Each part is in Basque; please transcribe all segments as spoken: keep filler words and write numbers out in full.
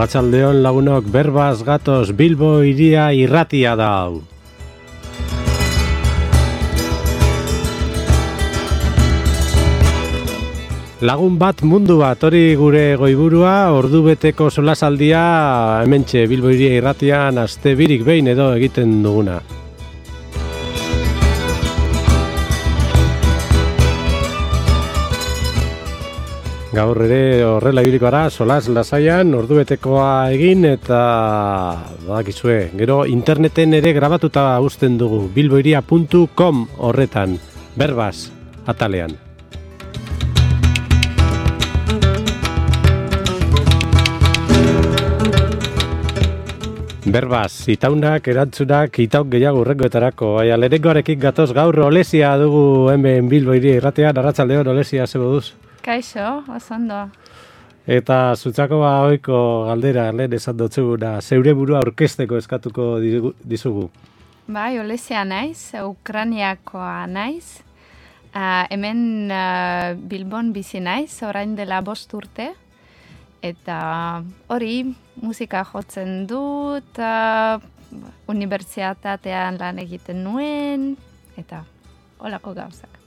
Arratsaldeon lagunok, berbaz gatoz, Bilbo hiria irratia da hau. Lagun bat mundu bat, hori gure goiburua, ordubeteko solasaldia hementxe Bilbo hiria irratian aste birik behin edo egiten duguna. Gaur ere horrela ibiliko gara, solas lasaian, ordubetekoa egin eta badakizue, gero interneten ere grabatuta uzten dugu, bilbohiria puntu com horretan, berbaz, atalean. Berbaz, itaunak, erantzunak, itauk gehiago urrengoetarako, baina lehenengoarekin gatoz gaur Olesia dugu hemen Bilbohiria irratean, arratsaldeon Olesia zebo duz. Kaixo, osondo. Eta zutzako ba ohiko galdera lehen esan dotzuguna, zeure burua aurkezteko eskatuko dizugu. Bai, Olesia naiz, Ukrainiakoa naiz. Uh, hemen uh, Bilbon bizi naiz, orain dela bost urte. Eta hori, musika jotzen dut, uh, unibertsitatean lan egiten nuen, eta holako gauzak.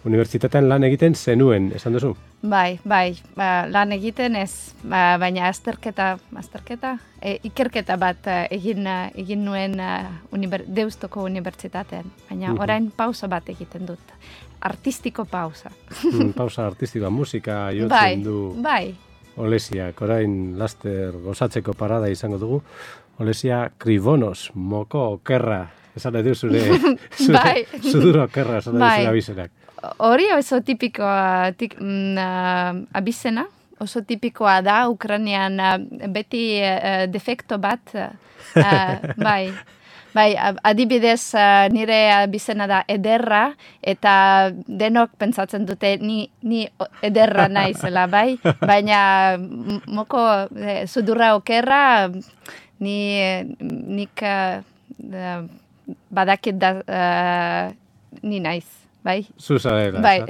Unibertsitatean lan egiten zenuen, esan duzu? Bai, bai, ba, lan egiten ez, ba, baina azterketa, azterketa, e, ikerketa bat egin, egin nuen uh, uniber, Deustoko unibertsitatean, baina uh-huh. orain pausa bat egiten dut, artistiko pausa. mm, pausa artistikoa, musika jotzen bai, du bai. Olesiak, orain laster gozatzeko parada izango dugu, Olesia Kribonos, moko okerra, esan edu zure, zure bai. zuduro okerra, esan edu zure abizenak. Hori oso tipikoa tik, mm, uh, abizena, oso tipikoa da, Ukrainian uh, beti uh, defekto bat, uh, bai, bai, adibidez uh, nire abizena da ederra, eta denok pentsatzen dute ni, ni ederra naizela, bai, baina moko eh, sudurra okerra, ni, nik uh, badakit da uh, ni naiz. Bai. Zuza dela. Bai.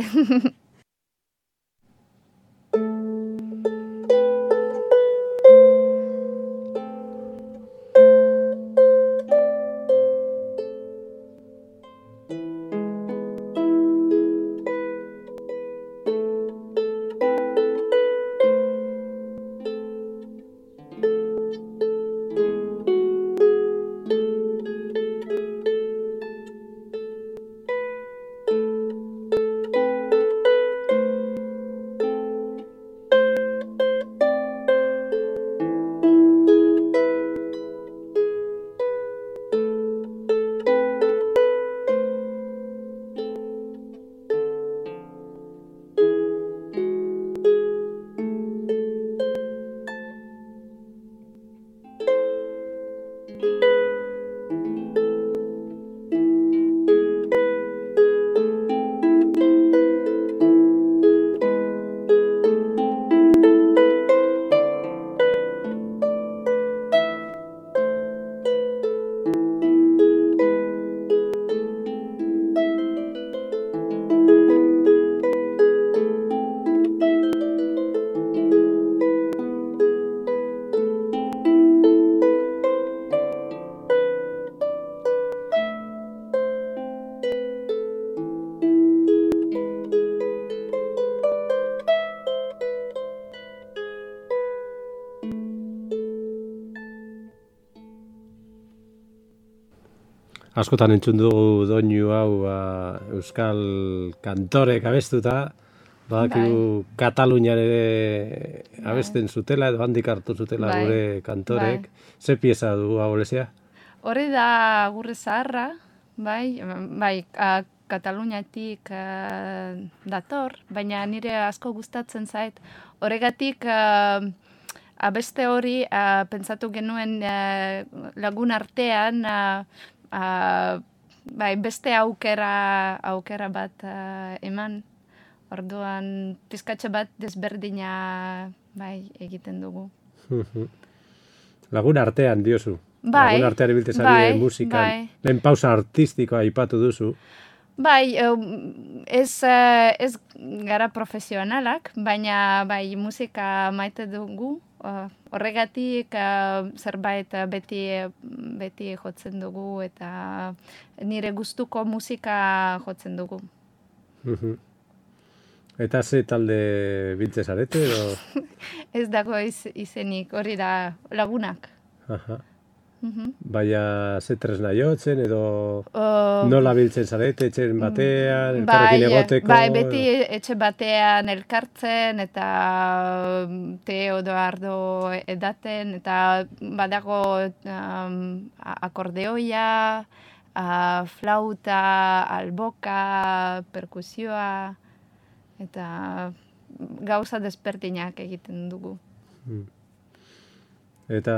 Askotan entzun dugu doinu hau ba, euskal kantorek abestuta, badakigu bai. Katalunian ere abesten zutela, edo handik hartu zutela bai. Gure kantorek. Bai. Ze pieza dugu hau, Olesia? Hori da gure zaharra, bai, bai, a, Kataluniatik a, dator, baina nire asko gustatzen zait. Horregatik a, abeste hori a, pentsatu genuen a, lagun artean, a, Uh, bai, beste aukera, aukera bat uh, eman, orduan pizkatxe bat desberdina bai, egiten dugu. Lagun artean diozu. Bai, lagun artean ibiltezari bai, musikan. Bai. Lehen pausa artistikoa aipatu duzu. Bai, ez, ez gara profesionalak, baina bai musika maite dugu, uh, horregatik uh, zerbait uh, beti, beti jotzen dugu eta nire gustuko musika jotzen dugu. Mhm. Eta ze talde biltze zarete edo? Ez dago iz, izenik, hori da lagunak. Aha. Mhm. Baina ze tresna jotzen edo Uh, nola biltzen zarete, etxen batean, bai, elkarrekin egoteko? bai, beti etxe batean elkartzen eta um, te edo ardo edaten eta badago um, a- akordeoia, a, flauta, alboka, perkusioa eta gauza despertinak egiten dugu. Hmm. Eta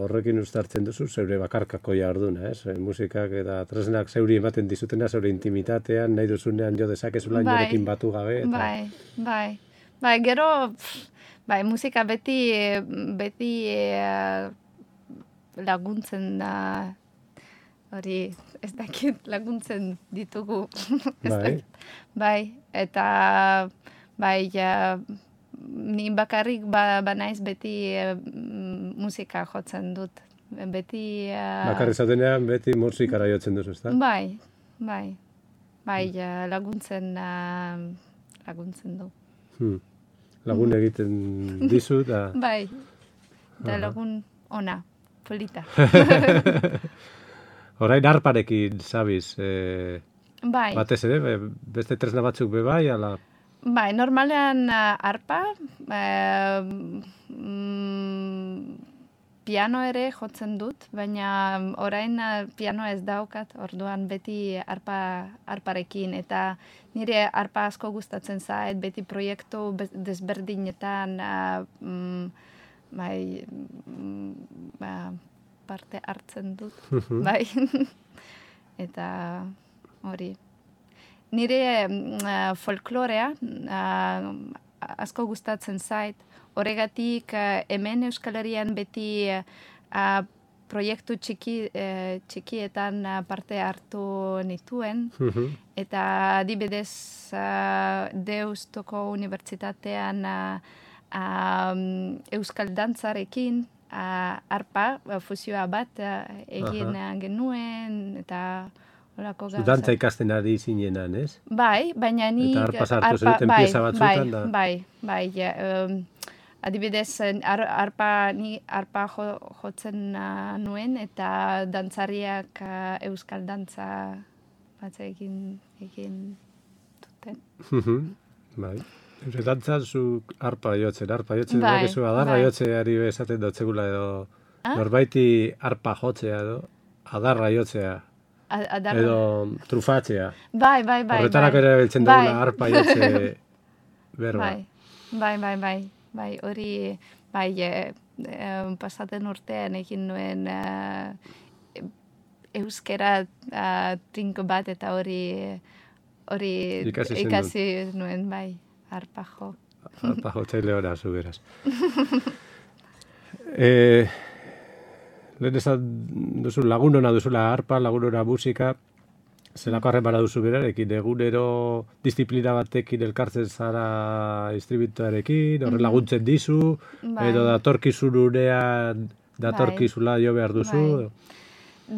horrekin uztartzen duzu zeure bakarkako jarduna, ez? Musikak eta tresnak zeuri ematen dizutena, zeure intimitatean, nahi duzunean jo dezakezula inorekin batu gabe. Eta... Bai, bai. Bai, gero, pff, bai, musika beti, beti eh, laguntzen da, hori, ez dakit laguntzen ditugu. Ez Bai. dakit. Bai, eta, bai, ja, ni bakarrik ba, banaiz beti eh, musika jotzen dut. Beti... eh, Bakarrik zaudenean beti musikara jotzen duzu, ezta? Bai, bai. Bai, eh, laguntzen, eh, laguntzen du. Hmm. Lagun egiten dizu, da... Bai, da Aha. lagun ona, polita. Orain arparekin zabiz, eh, Bai, batez ere, be- beste tresna batzuk be bai, ala... bai, normalean uh, arpa, eh, mm, piano ere jotzen dut, baina orain uh, piano ez daukat, orduan beti arpa, arparekin, eta nire arpa asko gustatzen zait, beti proiektu be- desberdinetan uh, mm, bai, mm, ba, parte hartzen dut, bai, eta hori. Nire uh, folklorea uh, asko gustatzen zait. Horregatik uh, hemen Euskal Herrian beti uh, proiektu txiki, uh, txikietan uh, parte hartu nituen. Eta adibidez uh, Deustoko Unibertsitatean uh, um, Euskal Dantzarekin uh, arpa uh, fusioa bat uh, egin uh, genuen eta olako gauza. Dantza ikasten ari zinenan, ez? Bai, baina ni... Eta arpa sartu zenuten pieza batzuetan da. Bai, bai, bai. Um, adibidez, ar, arpa, ni arpa jo, jotzen uh, nuen eta dantzariak uh, euskal dantza bat egin, egin duten. Bai. Eure dantza zu arpa jotzen, arpa jotzen, Bai, bakizu adarra bai. jotzeari esaten dotzegula edo Ah? norbaiti arpa jotzea edo adarra jotzea. A- adarra- Edo trufatzea. Bai, bai, bai. Horretarako bai. ere biltzen Bai. dugula arpa jotze berba. Bai, bai, bai, bai, bai, hori, bai, e, e, pasaten urtean egin nuen e, euskera uh, trinko bat eta hori hori Ikasi zenuen. ikasi nuen, bai, arpa jo. Arpa jotzaile ora, zu beraz. eh, lehen esan duzu lagunona duzula arpa, lagunona musika, zelako harremana duzu berarekin, egunero disiplina batekin elkartzen zara distribuitoarekin, horre laguntzen dizu, Bai. edo datorkizun unean datorkizula jo behar duzu. Bai.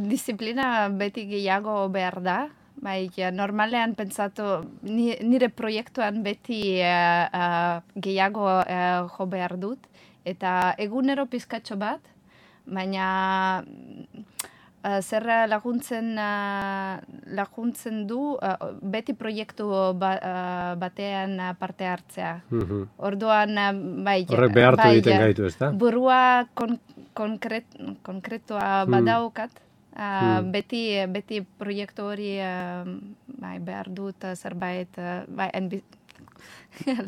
Disiplina beti gehiago behar da. Bai, ja, normalean pentsatu, ni- nire proiektuan beti eh, eh, gehiago eh, jo behar dut. Eta egunero pizkatxo bat, baina uh, zer laguntzen, uh, laguntzen du uh, beti proiektu ba, uh, batean uh, parte hartzea. Mhm. Orduan, uh, bai, Horrek behartu bai, egiten gaitu, ezta? burua kon, konkret, konkretua badaukat. Uh, beti, beti proiektu hori uh, bai, behar dut uh, zerbait, uh, bai, enbi...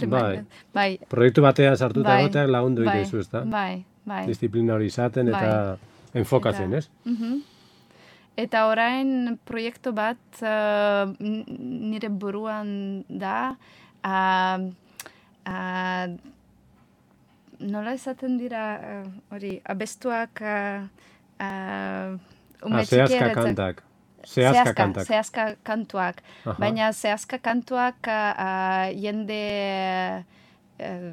Bai. bai, Proiektu batean sartuta Bai, egoteak lagundu bai, egiten zu, ezta? bai, bai. Disiplina hori izaten eta enfokatzen, Eta- ez? Mhm. Eta orain proiektu bat uh, n- nire buruan da, uh, uh, nola esaten dira uh, hori, abestuak uh, uh, ume Ah, zehazka txikieretzen- kantak. Zehazka kantak. Zehazka kantuak. Aha. Baina zehazka kantuak uh, uh, jende uh,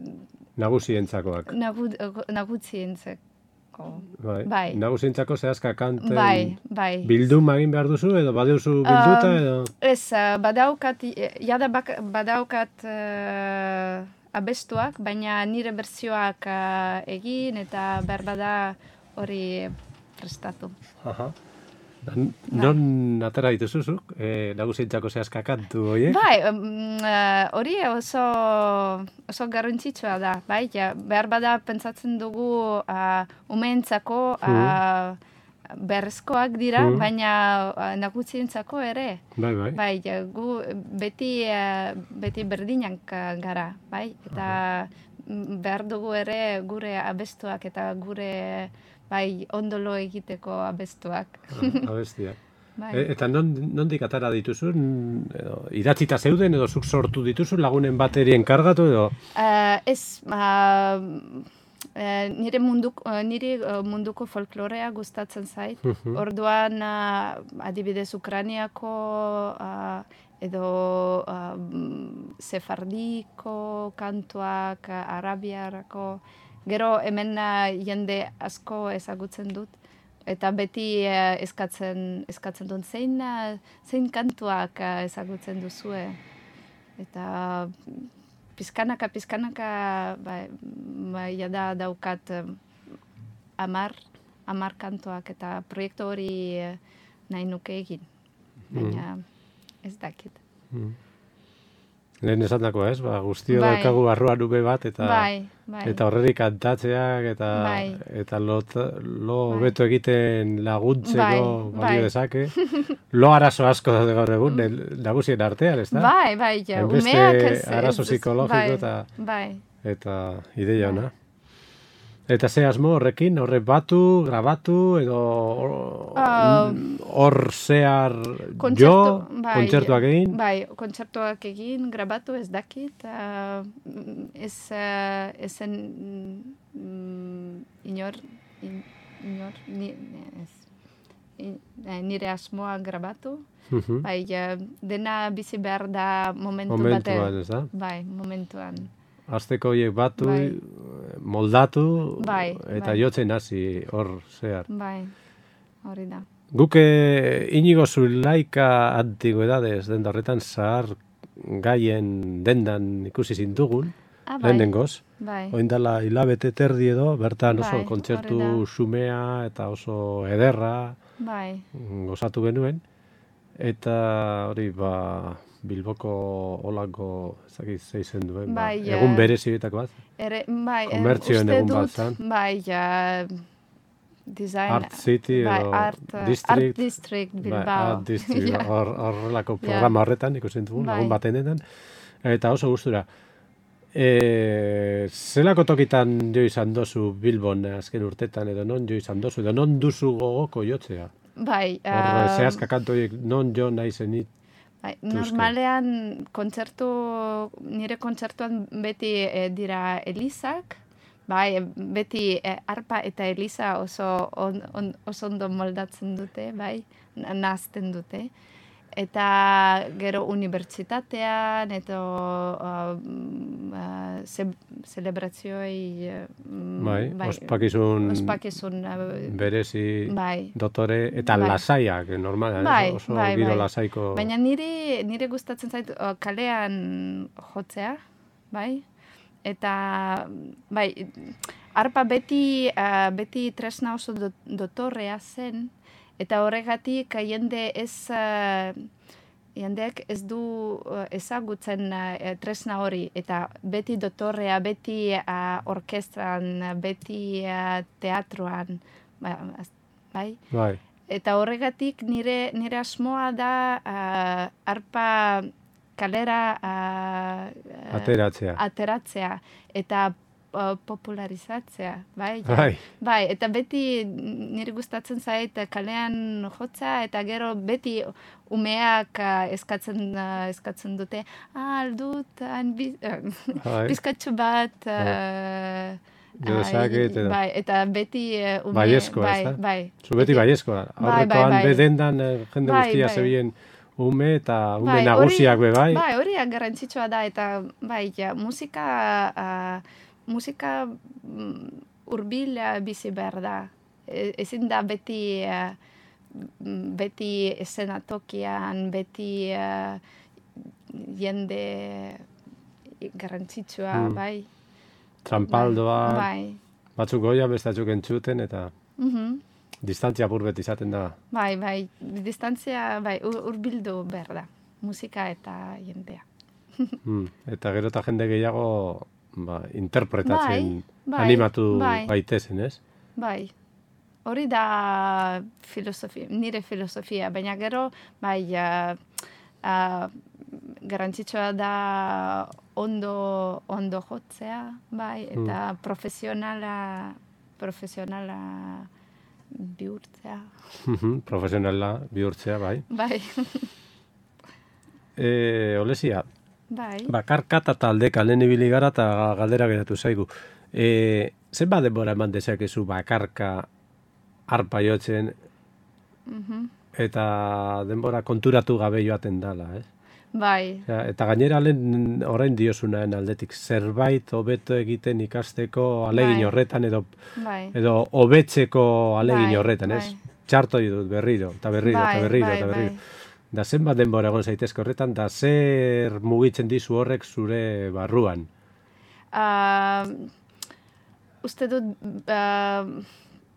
Nagusientzakoak. Nagu, nagusientzako. Bai. Bai. Nagusientzako zehazka kanten Bai, bai. bilduma egin behar duzu, edo badeuzu bilduta, edo... Ez, uh, badaukat, jada bak, badaukat uh, abestuak, baina nire berzioak uh, egin eta behar bada hori prestatu. Aha. Non atera dituzuzuk, e, nagusientzako zehazka kantu horiek? Bai, hori um, uh, oso, oso garrantzitsua da, bai, ja, behar bada pentsatzen dugu uh, umeentzako uh, berrezkoak dira, hmm. baina uh, nagusientzako ere. Bai, bai. Bai, ja, gu beti, uh, beti berdinak gara, bai, eta uh-huh. behar dugu ere gure abestuak eta gure... Bai, ondolo egiteko abestuak. Ah, abestia. Bai. E, eta non, nondik atara dituzu? Edo, idatzita zeuden edo zuk sortu dituzu lagunen bateri enkargatu edo? Uh, ez, uh, nire, munduk, uh, nire munduko folklorea gustatzen zait. Uh-huh. Orduan, uh, adibidez Ukrainiako uh, edo uh, sefardiko kantuak, uh, arabiarako... Gero hemen uh, jende asko ezagutzen dut, eta beti uh, eskatzen, eskatzen dut zein, uh, zein kantuak uh, ezagutzen duzue. Eta pizkanaka, pizkanaka, bai, bai, jada daukat um, amar, amar kantuak, eta proiektu hori uh, nahi nuke egin, baina ez dakit. Mm. Lehen esan dako, ez? Ba, guztio bai. daukagu barruan ube bat, eta bai, bai. eta horrerik kantatzeak, eta, bai. eta lo, lo bai. beto egiten laguntzeko bai. balio bai. dezake. Lo arazo asko daude gaur egun, nagusien artean, ez da? Bai, bai, ja. Hainbeste Umeak ez... arazo psikologiko bai, eta, bai. eta ideia ona. Eta ze asmo horrekin, horre batu, grabatu, edo hor uh, zehar jo, bai, kontzertuak egin? Bai, kontzertuak egin, grabatu ez dakit, uh, ez, uh, ezen mm, inor, in, inor, ni, ez, in, nire asmoa grabatu, uh-huh. bai, uh, dena bizi behar da momentu momentuan, batean. Momentuan, ez da? Bai, momentuan. Azteko horiek batu, bai. moldatu, bai, eta bai. jotzen hasi hor zehar. Bai, hori da. Guke Inigo Zulaika antigüedades den horretan zahar gaien dendan ikusi zintugun, ah, bai. lehenengoz. Bai. Oindala hilabete terdi edo, bertan oso bai, kontzertu xumea eta oso ederra bai. gozatu genuen. Eta hori, ba... Bilboko olako ezakit zeizen duen, bai, ba, egun berezi betako bat. Ere, bai, komertzioen egun bat zan. Bai, ja, design, Art City bai, edo art, District. Art District Bilbao. Bai, Art District, ja. horrelako programa horretan ikusten dugu, bai. egun batenetan. Eta oso gustura. E, zelako tokitan jo izan dozu Bilbon azken urtetan, edo non jo izan dozu, edo non duzu gogoko jotzea? Bai. Hor, uh, zehazka kantoiek non jo nahi zenit. Bai, normalean kontzertu, nire kontzertuan beti e, dira elizak, bai, beti e, arpa eta eliza oso, on, on, oso ondo moldatzen dute, bai, nahazten dute. Eta gero unibertsitatean, eta uh, uh, ze, zelebrazioei... Uh, bai, bai, ospakizun, ospakizun uh, berezi, bai, dotore, eta bai. lasaiak, normalan, bai, oso bai, giro bai. lasaiko... Baina nire, nire gustatzen zait uh, kalean jotzea, bai, eta, bai, arpa beti, uh, beti tresna oso do, dotorrea zen, eta horregatik jende ez, uh, jendeak ez du uh, ezagutzen uh, tresna hori, eta beti dotorrea, beti uh, orkestran, beti uh, teatruan, bai? Bai. Eta horregatik nire, nire asmoa da uh, arpa kalera uh, ateratzea. ateratzea, eta Uh, popularizatzea, bai, ja. bai. Bai, eta beti nire gustatzen zait kalean jotza, eta gero beti umeak uh, eskatzen, uh, eskatzen dute, ah, aldut, bizkatxu bat, uh, Gerozakit, bai, eta beti uh, ume... Baiezkoa, bai, ez da? bai. Zu beti baiezkoa. Aurrekoan bai, bai. bedendan jende bai, guztia bai. zebien ume eta ume bai, nagusiak be bai. Bai, hori garrantzitsua da, eta bai, ja, musika... Uh, musika mm, hurbil uh, bizi behar da. E, ezin da beti, uh, beti eszenatokian, beti uh, jende garrantzitsua, Mm. bai. Txampaldoa, Bai. batzuk goia, bestatzuk entzuten, eta Mhm. distantzia burbet izaten da. Bai, bai, distantzia, bai, ur- hurbildu behar da. Musika eta jendea. Mm. Eta gero eta jende gehiago ba, interpretatzen Bai, bai, animatu bai. gaitezen, ez? Bai, hori da filosofia, nire filosofia, baina gero, bai, uh, uh, garrantzitsua da ondo, ondo jotzea, bai, eta profesionala, profesionala bihurtzea. Profesionala bihurtzea, bai. Bai, E, Olesia, bai. bakarka eta taldeka lehen ibili gara eta galdera geratu zaigu. E, zenbat denbora eman dezakezu bakarka arpa jotzen Mhm. eta denbora konturatu gabe joaten dala, ez? Bai, Ja, eta gainera lehen orain diozunaen aldetik zerbait hobeto egiten ikasteko alegin Bai. horretan edo bai. edo hobetzeko alegin Bai, horretan, ez? bai. Txarto dut berriro, eta berriro, Bai, eta berriro, bai, eta berriro. bai. Da zenbat denbora egon zaitezke horretan, da zer mugitzen dizu horrek zure barruan. Uh, uste dut uh,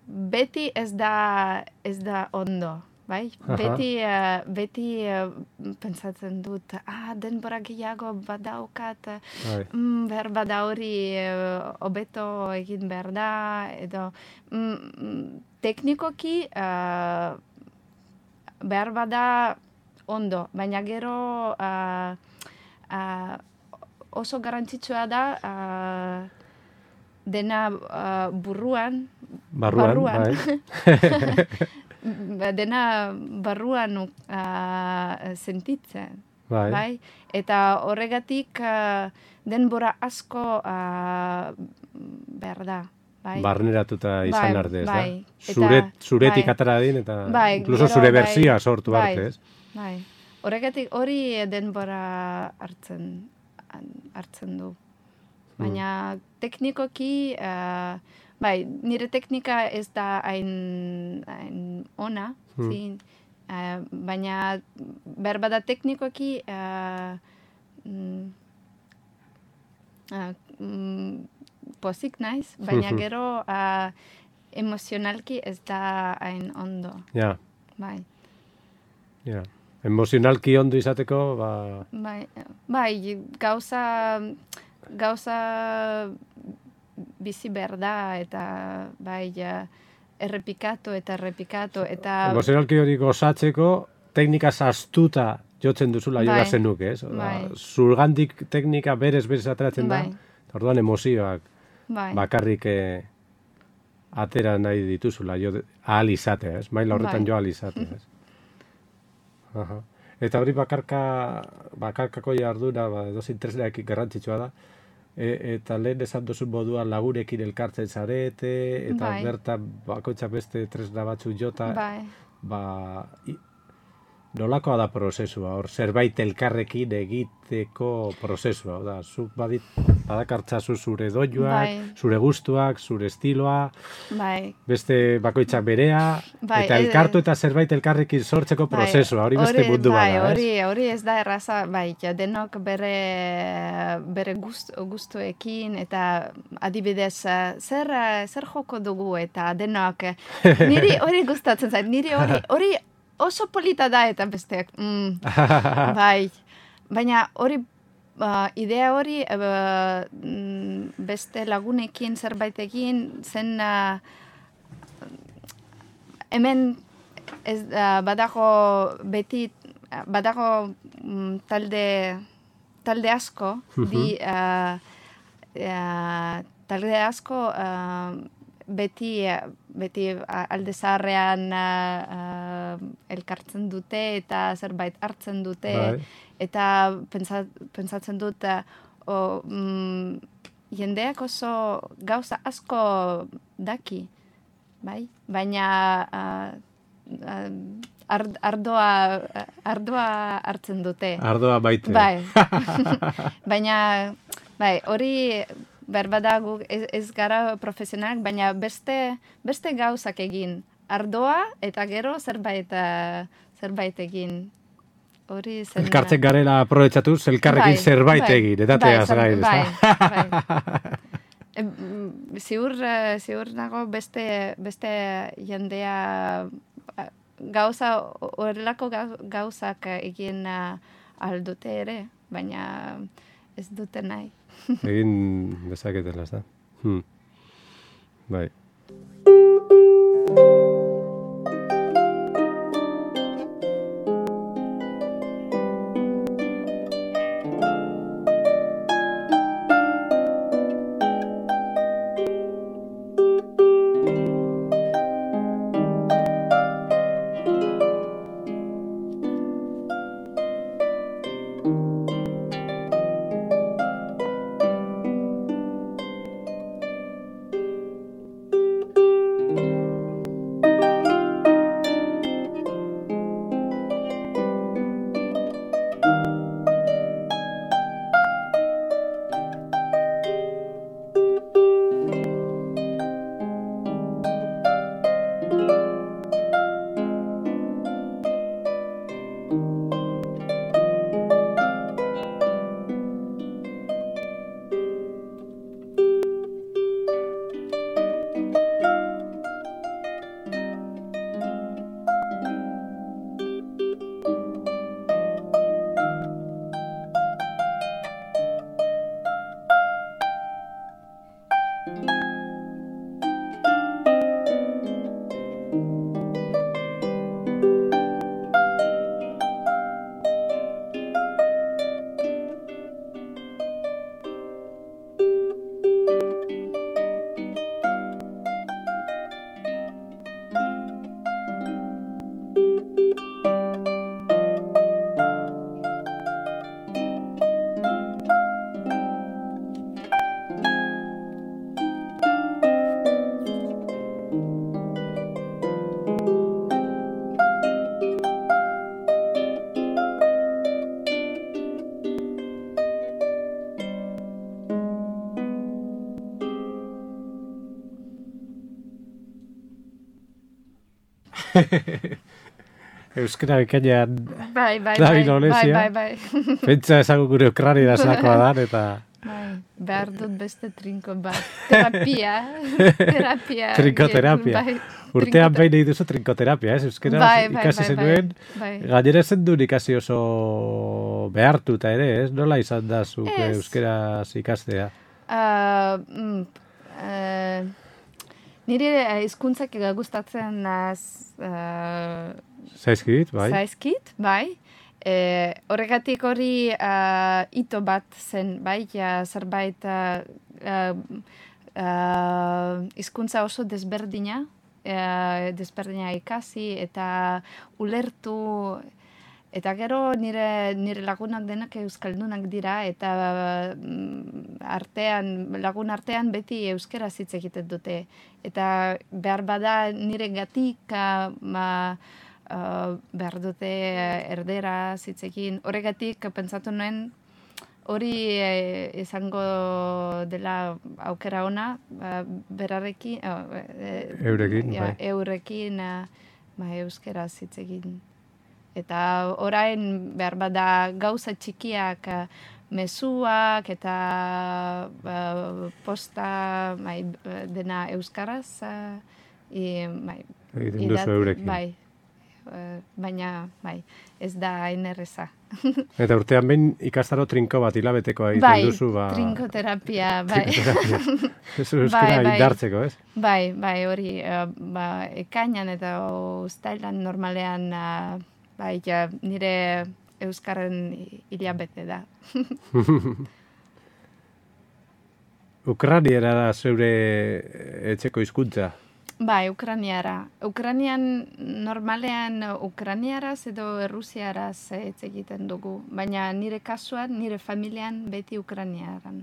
beti ez da, ez da ondo, bai? Aha. Beti, uh, beti uh, pentsatzen dut, ah, denbora gehiago badaukat, Bai. mm, behar bada hori uh, hobeto egin behar da, edo mm, teknikoki uh, behar bada ondo, baina gero uh, uh, oso garrantzitsua da uh, dena uh, burruan, Barruan, barruan. bai. dena barruan uh, sentitzen. Bai. Bai? Eta horregatik uh, denbora asko uh, behar da. Bai? Barneratuta izan Bai, arte, ez bai. da? Eta- Zure, zuretik bai. atara din, eta Bai, incluso gero, zure bai, berzioa sortu bai, arte, ez? Bai. Horregatik hori denbora hartzen hartzen du. Baina teknikoki, uh, bai, nire teknika ez da hain, hain ona, Hmm. zin, uh, baina berbada teknikoki uh, mm, uh, mm, pozik naiz, baina Mhm. gero uh, emozionalki ez da hain ondo. Ja, Bai. ja. Emozionalki ondo izateko, ba... Bai, bai, gauza, gauza bizi behar da, eta bai, ja, errepikatu eta errepikatu, eta... Emozionalki hori gozatzeko, teknika sastuta jotzen duzula Bai. jola zenuke, ez? Oda, Bai. Zurgandik teknika berez berez ateratzen Bai. da, eta orduan emozioak bai, bakarrik eh, atera nahi dituzula, jo, ahal izatea, ez? Maila horretan Bai. jo ahal izatea, ez? Aha. Eta hori bakarka, bakarkako jarduna, ba, edozein tresnaekin garrantzitsua da, e, eta lehen esan duzu moduan lagurekin elkartzen zarete, eta Bai. bertan bakoitzak beste tresna batzuk jota, bai, ba, i, nolakoa da prozesua, hor zerbait elkarrekin egiteko prozesua, da, zuk badit, badakartzazu zure doinuak, Bai. zure gustuak, zure estiloa, bai. beste bakoitzak berea, Bai, eta eh, elkartu eta zerbait elkarrekin sortzeko Bai, prozesua, hori beste mundu bai, bada, hori, ez? hori ez da erraza, bai, ja, denok bere, bere gust, gustuekin, eta adibidez, eh, zer, eh, zer joko dugu, eta denok, eh, niri hori gustatzen zait, niri hori, hori oso polita da, eta besteak, mm, bai, baina hori, uh, idea hori, uh, mm, beste lagunekin zerbait egin, zen, uh, hemen ez, uh, badago beti, badago mm, talde, talde asko, di, uh, uh, talde asko uh, beti, beti alde zaharrean uh, uh, elkartzen dute eta zerbait hartzen dute, Bai. eta pentsa, pentsatzen dut uh, o, mm, jendeak oso gauza asko daki, bai? Baina uh, uh, ard, ardoa, ardoa hartzen dute. Ardoa baite. Bai. Baina, bai, hori, berbada guk ez, ez gara profesionalak, baina beste, beste gauzak egin. Ardoa eta gero zerbait, uh, zerbait egin. Hori zen... Elkartzen garela aprobetsatuz, elkarrekin bai, zerbait bai, egin, eta teaz bai, gain, bai, bai. E, ziur, ziur nago beste, beste jendea gauza, horrelako gauzak egin aldute ere, baina ez dute nahi. Egin dezaketela, ez da? Hmm. Bai. Euskara bekainan bai, bai, bai, bai, bai, bai. Pentsa ezagun gure Ukrani da zakoa da, eta... Bai, behar dut beste trinko bat. Terapia. Terapia. Trinkoterapia. Bai, urtean behin egin duzu trinkoterapia, ez? Euskara bai, bai, ikasi bai, zenuen. Bai. Gainera zen duen ikasi oso behartuta ere, ez? Nola izan da zuk euskara ikastea? Uh, mm, uh, nire hizkuntzak gustatzen az... Uh, Zaizkit, bai. Zaizkit, bai. E, horregatik hori uh, ito bat zen, bai, ja, zerbait uh, uh, hizkuntza oso desberdina, uh, desberdina ikasi eta ulertu, eta gero nire, nire lagunak denak euskaldunak dira, eta uh, artean, lagun artean beti euskera hitz egiten dute. Eta behar bada nire gatik uh, ma, Uh, behar dute erdera zitzekin. Horregatik pentsatu nuen hori eh, izango dela aukera ona uh, berarekin uh, eh, eurekin, ja, bai. eurekin uh, ba, euskera zitzekin. Eta orain behar bada gauza txikiak uh, mezuak eta uh, posta bai, dena euskaraz uh, i, bai, egiten duzu eurekin. Bai. Baina, bai, ez da hain erreza. Eta urtean behin ikastaro trinko bat hilabetekoa egiten bai, duzu, ba... trinkoterapia, bai. Trinkoterapia. Ez euskara bai, bai. indartzeko, ez? Bai, bai, hori, uh, ba, ekainan eta uztailan normalean, uh, bai, ja, nire euskaren hilabete da. Ukraniera da zeure etxeko hizkuntza? Bai, ukraniara. Ukranian, normalean ukraniaraz edo errusiaraz hitz egiten dugu. Baina nire kasuan, nire familian beti ukraniaran.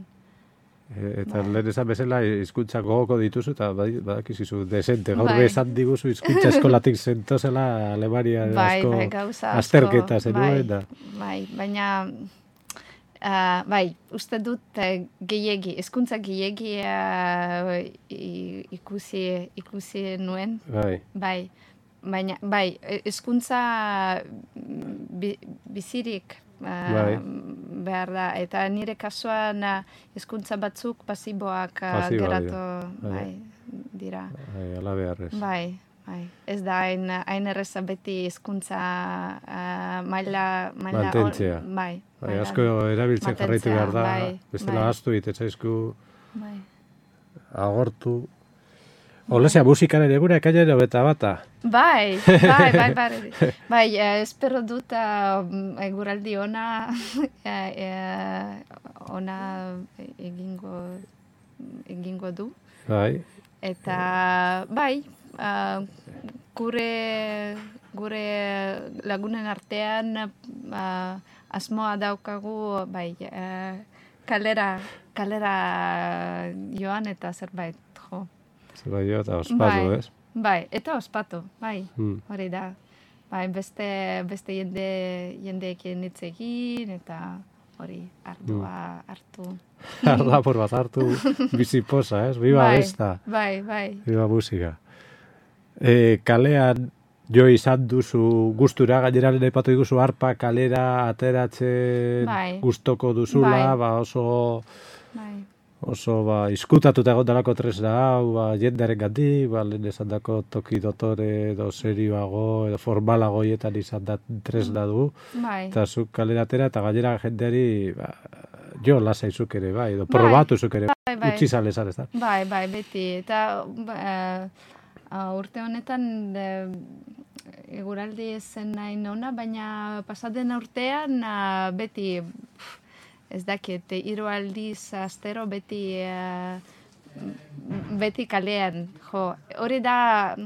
E, eta bai. Lehen esan bezala hizkuntza gogoko dituzu eta badakizu desente. Gaur bai. Bezan diguzu hizkuntza eskolatik zentozela Alemania bai, asko bai, gauza azterketa zenuen. Bai, da. bai, baina Uh, bai, uste dut uh, gehiegi, hezkuntza gehiegi uh, ikusi, ikusi nuen. Bai. Bai, baina, bai, hezkuntza bi, bizirik uh, Bai. behar da. Eta nire kasuan hezkuntza batzuk pasiboak uh, Pasiboak geratu dira. bai, dira. Bai, ala beharrez. Bai. Bai, ez da hain, hain erreza beti hizkuntza uh, maila... maila Mantentzea. on- bai, Bai, maila- asko erabiltzen jarraitu mantentzea, behar da, bai, bestela bai. ahaztu egiten zaizku Bai. agortu. Olesea, musikaren ere gure ekailaren beta bata. Bai, bai, bai, bai. Bai, eh, espero dut uh, eguraldi ona, eh, eh, ona egingo, egingo du. Bai, Eta, bai, uh, gure, gure lagunen artean uh, asmoa daukagu, bai, uh, kalera, kalera joan eta zerbait, jo. zerbait jo eta ospatu, Bai, ez? bai, eta ospatu, bai, Hmm. hori da. Bai, beste, beste jende, jendeekin hitz egin eta hori ardua hartu. Ardapur bat hartu, bizi poza, ez? Biba bai, besta, bai, bai. biba musika. E, kalean jo izan duzu gustura, gainera lehen aipatu diguzu harpa kalera ateratzen Bai. gustoko duzula, Bai. ba oso Bai, oso ba izkutatuta egon dalako tresna hau, ba jendearen gandik, ba lehen esan dako toki dotore edo serioago edo formalago hietan izan da tresna du, bai. eta zuk kalera atera eta gainera jendeari ba, jo lasai zuk ere, bai, edo Bai. probatu zuk ere, Bai, bai. utzi zale zan, ez da? Bai, bai, beti. Eta uh, urte honetan uh, eguraldi zen nahi nona, baina pasaden urtean uh, beti, pff, ez dakit, hiru aldiz astero beti, uh, beti kalean. Jo, hori da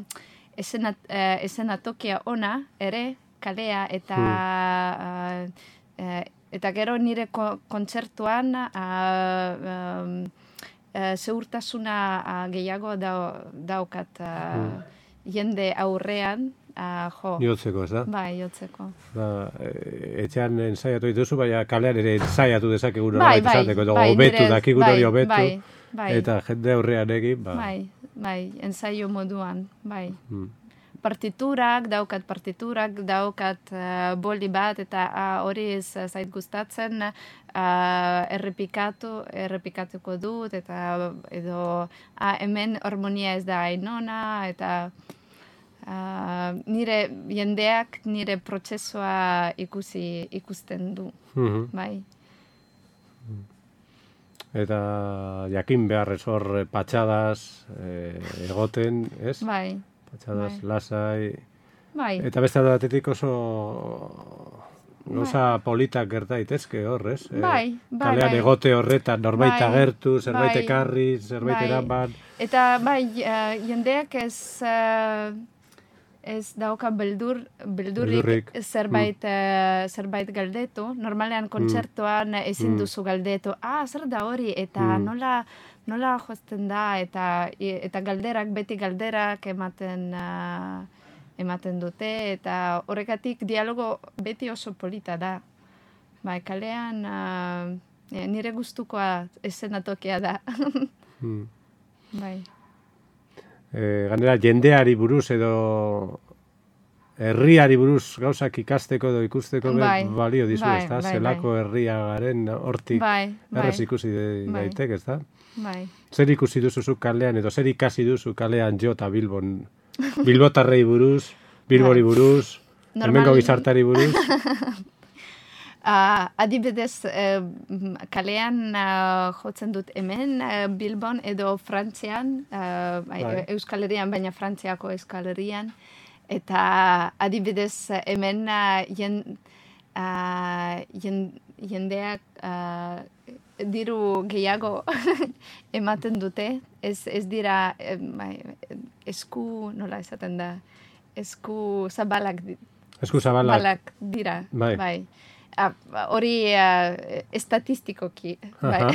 esena, uh, eszenatokia ona ere, kalea, eta uh, uh, eta gero nire ko, kontzertuan uh, um, uh, zeurtasuna uh, gehiago dau, daukat uh, jende aurrean, uh, jo. Jotzeko, ez da? Bai, jotzeko. Ba, e, etxean ensaiatu dituzu, baina kalean ere ensaiatu dezakegu Bai, nolabait bai, esateko, edo bai, hobetu, nire- dakigun bai, hori hobetu, bai, bai. eta jende aurrean egin, ba. Bai, bai, ensaio moduan, bai. Mm. Partiturak, daukat partiturak, daukat uh, boli bat, eta uh, hori ez uh, zait gustatzen, uh, errepikatu, errepikatuko dut, eta edo uh, hemen harmonia ez da ainona, eta uh, nire jendeak nire prozesua ikusi ikusten du, Mhm. bai. Eta jakin beharrez hor eh, patxadas eh, egoten, ez? Bai, Patxadas bai. lasai. bai, Eta beste batetik oso gauza politak gerta daitezke hor, ez? Eh, Bai, bai, Kalean bai. egote horretan norbait Bai, agertu, zerbait bai, ekarri, zerbait bai. eraman. Eta bai, uh, jendeak ez, uh, ez dauka beldur, beldurrik Beldurrik. zerbait, uh, zerbait galdetu. Normalean kontzertuan ezin Mm. duzu galdetu, ah, zer da hori, eta Mm. nola, nola josten da, eta, eta galderak, beti galderak ematen, uh, ematen dute, eta horregatik dialogo beti oso polita da. Bai, kalean uh, nire gustukoa eszenatokia da. Mm. Bai. E, ganera, jendeari buruz edo herriari buruz gauzak ikasteko edo ikusteko be- Bai, balio dizu, bai, ezta? bai, Zelako herria garen hortik Bai, erraz bai, ikusi de- Bai. daiteke, ezta? bai. Zer ikusi duzu zuk kalean edo zer ikasi duzu kalean jo eta Bilbon? Bilbotarrei buruz, Bilbori Bai. buruz, hemengo Normal- gizartari buruz? Uh, adibidez, uh, kalean uh, jotzen dut hemen, uh, Bilbon edo Frantzian, uh, bai, Bai. Euskal Herrian, baina Frantziako Euskal Herrian. Eta adibidez hemen uh, jen, uh, jen, jendeak uh, diru gehiago ematen dute. Ez, ez dira eh, bai, esku, nola esaten da, esku zabalak, di- Esku zabalak. zabalak dira. Bai. bai. Ah, hori uh, estatistikoki, bai.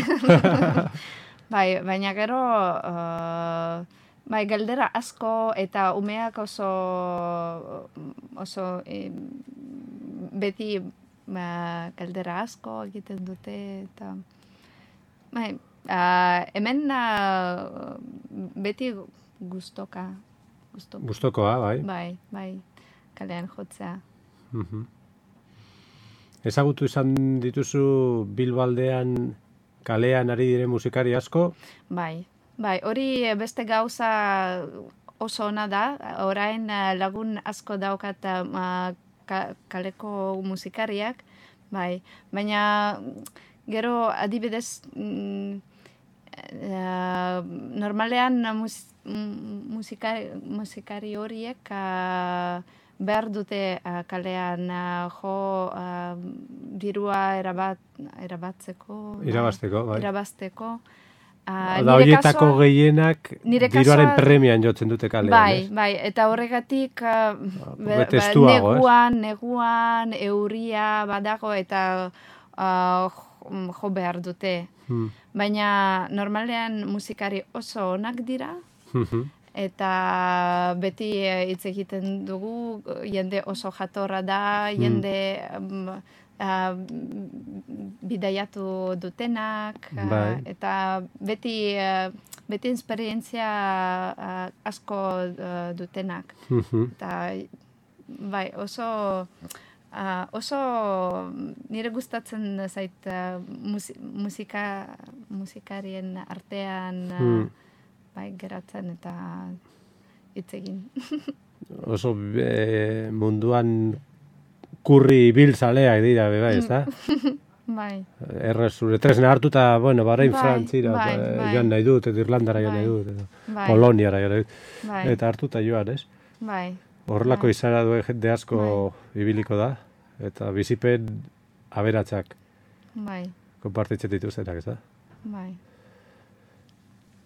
Bai, baina gero, uh, bai, galdera asko eta umeak oso, oso eh, beti ba, galdera asko egiten dute, eta bai, uh, hemen uh, beti gustoka. Gustoka. Gustokoa, bai. Bai, bai, kalean jotzea. Mhm. Ezagutu izan dituzu Bilbo aldean kalean ari diren musikari asko? Bai, bai, hori beste gauza oso ona da, orain lagun asko daukat uh, ka, kaleko musikariak, bai, baina gero adibidez mm, uh, normalean mus, musikari, musikari horiek uh, behar dute uh, kalean uh, jo uh, dirua erabat, erabatzeko. Irabazteko, bai. Irabazteko. Uh, da horietako gehienak diruaren premian jotzen dute kalean. Bai, ez? bai, eta horregatik uh, be, be, estuago, neguan, neguan, euria badago eta uh, jo behar dute. Hmm. Baina normalean musikari oso onak dira, eta beti hitz egiten dugu, jende oso jatorra da, jende um, uh, bidaiatu dutenak, bai. uh, eta beti, uh, beti esperientzia uh, asko uh, dutenak. Eta bai, oso... Uh, oso nire gustatzen zait uh, musika, musikarien artean uh, hmm. bai, geratzen eta hitz egin. Oso e, munduan kurri biltzaleak dira, bai, ez da? Bai. Errez, zure tresna hartuta, bueno, barain bai, Frantzira bai, bai. joan nahi dut, edo Irlandara joan bai. nahi dut, edo bai. Poloniara joan nahi dut. Bai. Eta hartuta joan, ez? Bai. Horrelako bai. izara duen jende asko bai. ibiliko da, eta bizipen aberatsak bai. konpartitzen dituztenak, ez da? Bai.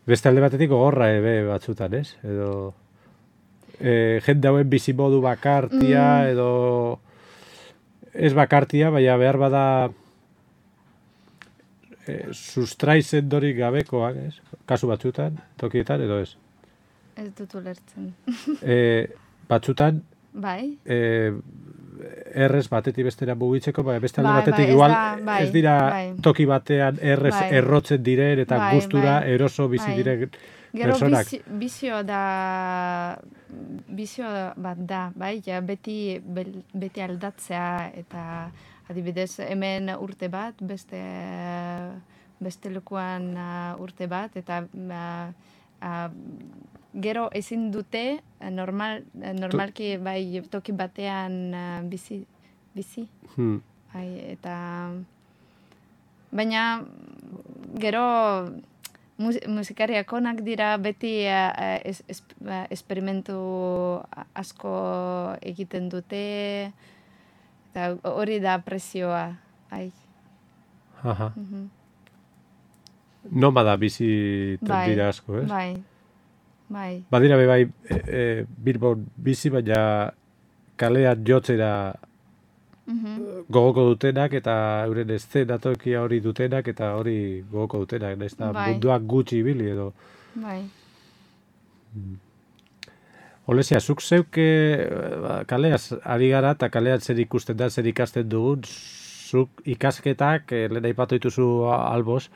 Beste alde batetik gogorra ebe batzutan, ez? Edo e, jende hauen bizimodu bakartia, mm. edo ez bakartia, baina behar bada e, sustraizen dorik gabekoak, ez? Kasu batzutan, tokietan, edo ez? Ez dut ulertzen. e, batzutan, bai. E, errez batetik bestera mugitzeko, bai, beste alde bai, batetik bai, igual ez, da, bai, ez dira bai. toki batean errez bai. errotzen diren eta bai, gustura bai. eroso bizi bai. diren Gero personak. Gero bizio da, bizio bat da, bai, ja, beti, beti aldatzea eta adibidez hemen urte bat, beste, beste lekuan uh, urte bat, eta uh, uh, gero ezin dute normal, normalki bai toki batean uh, bizi, bizi. Hmm. Bai, eta baina gero mus, musikariak onak dira beti uh, es, es, uh, esperimentu asko egiten dute eta hori da presioa. Ai. Aha. Mhm. Nomada bizi bai, dira asko, ez? Bai. Bai. Badira be bai e, e, Bilbon bizi, baina kalean jotzera mm-hmm. gogoko dutenak eta euren eszenatokia hori dutenak eta hori gogoko dutenak, ez da bai. Munduak gutxi ibili edo. Bai. Mm. Olesia, zuk zeuke kaleaz ari gara eta kalean zer ikusten da, zer ikasten dugun, zuk ikasketak, eh, lehen aipatu dituzu alboz,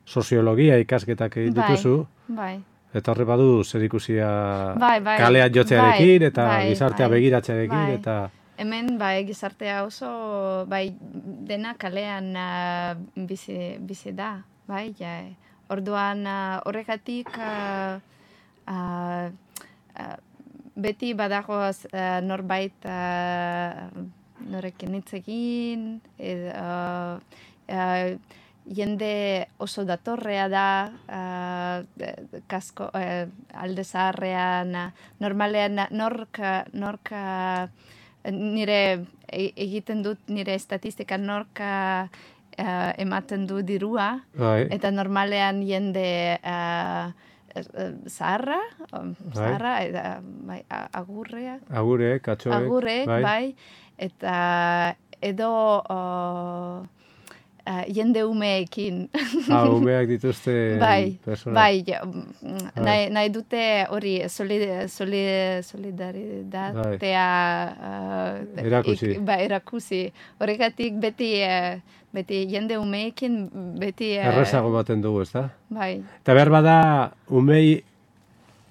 soziologia ikasketak egin dituzu. Bai, bai. Eta horre badu zer ikusia bai, bai, kalean jotzearekin bai, eta bai, gizartea bai, begiratzearekin. Bai. Eta... Hemen bai, gizartea oso bai, dena kalean uh, bizi, bizi da. Bai, ja. Orduan uh, horregatik uh, uh, uh, beti badago uh, norbait uh, norekin hitz egin, uh, uh, jende oso datorrea da, uh, kasko, uh, alde zaharrean, uh, normalean nork, nork uh, nire egiten dut nire estatistika nork uh, ematen du dirua, Bai. eta normalean jende uh, zaharra, zaharra, eta, bai, agurreak. Agurek, katxoek. Agurek, bai. bai. Eta edo... Uh, uh, jende umeekin. Ah, umeak dituzte bai, persona. bai, ja, nahi, nahi dute hori solid, solid, solidaritatea uh, erakusi. Ik, ba, erakusi. Horregatik beti, uh, beti jende umeekin beti... Uh, Errezago baten dugu, ez da? Bai. Eta behar bada umei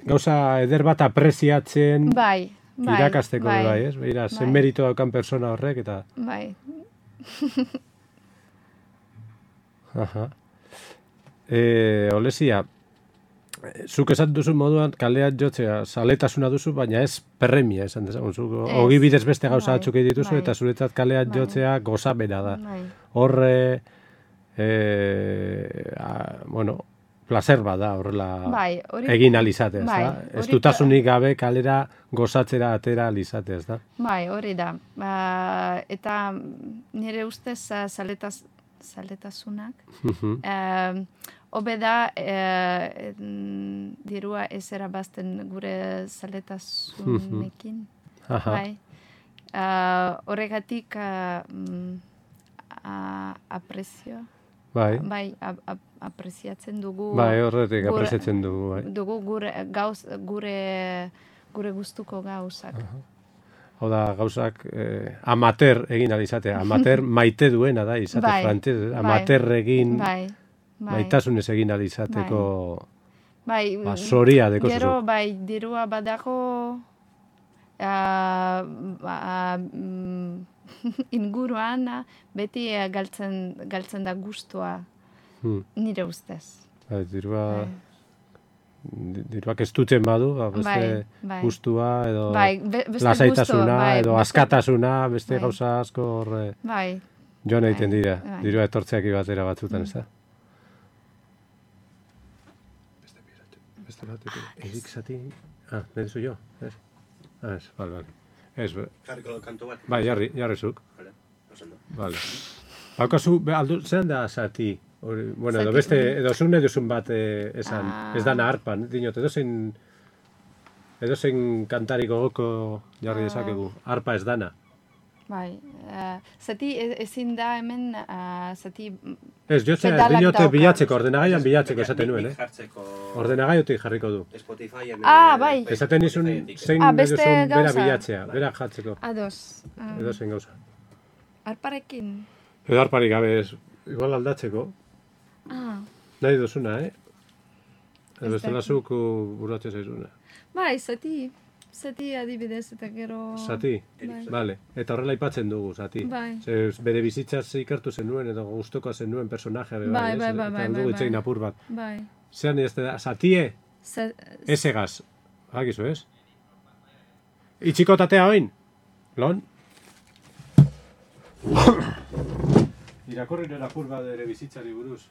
gauza eder bat apreziatzen bai, bai, irakasteko bai, bai, ez? Beira, bai. zen merito daukan persona horrek eta... Bai. Aha. E, Olesia, zuk esan duzu moduan kalean jotzea zaletasuna duzu, baina ez perremia esan dezagun. Zuk ogi bidez beste gauza bai, batzuk dituzu bai. eta zuretzat kalean Bai. jotzea gozamena da. Bai. Horre, e, a, bueno, placer bada horrela Bai, hori- egin alizatea, ez bai, da? Ez hori- dutasunik gabe kalera gozatzera atera alizatea, ez da? Bai, hori da. Ba, eta nire ustez uh, zaletaz, zaletasunak, Mhm. eh, hobe da eh, mm, dirua ez erabazten gure zaletasunekin. Aha. Bai. Uh, horregatik uh, mm, a- aprezio. Bai, Bai, ap, ap, apreziatzen dugu. bai, horretik gure- apreziatzen dugu, bai. Dugu gure gauz, gure gure gustuko gauzak. Hau da, gauzak eh, amateur egin alizatea. Amateur maite duena da, izate Bai, frantez. bai. Amateur egin Bai, bai. maitasunez egin alizateko Bai, ba, zoria deko gero, zuzuk. bai, dirua badago uh, ba, mm, inguruan beti eh, galtzen, galtzen da gustua Hmm. nire ustez. Bai, dirua, Bai. di- diruak ez dutzen badu, ba, beste Bai, bai. gustua edo Bai, be- beste lasaitasuna gustu, bai, edo beste- askatasuna, beste Bai. gauza asko horre Bai, joan egiten Bai, dira. bai. Dirua etortzeak batera batzutan, ez da? Beste piratu, beste bat, edik zati... Ah, nahi duzu jo? Ez? Ah, ez, bale, bale. Ez, be- Jarriko kantu bat. bai, jarri, jarri zuk. Vale, oso ondo. Vale. Haukazu, be, aldu, zean da zati? Hori, bueno, edo Zati, beste, hori. edo zun eduzun bat eh, esan, Ah. ez dana harpan, dinot, edo zein, edo zein kantari gogoko jarri Ah. dezakegu, harpa ez dana. bai. Uh, zati e- ezin da hemen, uh, zati... Ez, jotzea, Pedalak dinote dauka. bilatzeko, ordenagaian bilatzeko esaten Nik- nuen, nik eh? jartzeko Ordenagaiotik jarriko du. Spotifyen... Ah, eh, bai. Esaten nizun, Spotifyetik. zein Ah, beste eduzun bera gauza. bilatzea, bera jartzeko, Ados. Um, edo zein gauza. Arparekin. Edo harparik gabe ez, igual aldatzeko, Ah, nahi duzuna, eh? Ez Edo bestela dakit. zuk buratzen zaizuna. bai, zati. Zati adibidez eta gero... Zati? Bai. Vale, eta horrela aipatzen dugu, zati. Bai. Ze, bere bizitzaz ikertu zenuen edo gustuko zenuen personajea be Bai, ez? bai, bai, Eta bai, aldugu bai, itzein bai. apur bat. Bai. Zean ez da, zatie, Z- esegaz. Hakizu, ez? Itxiko tatea oin? Lon? Irakorri nera apur bat ere bizitzari buruz.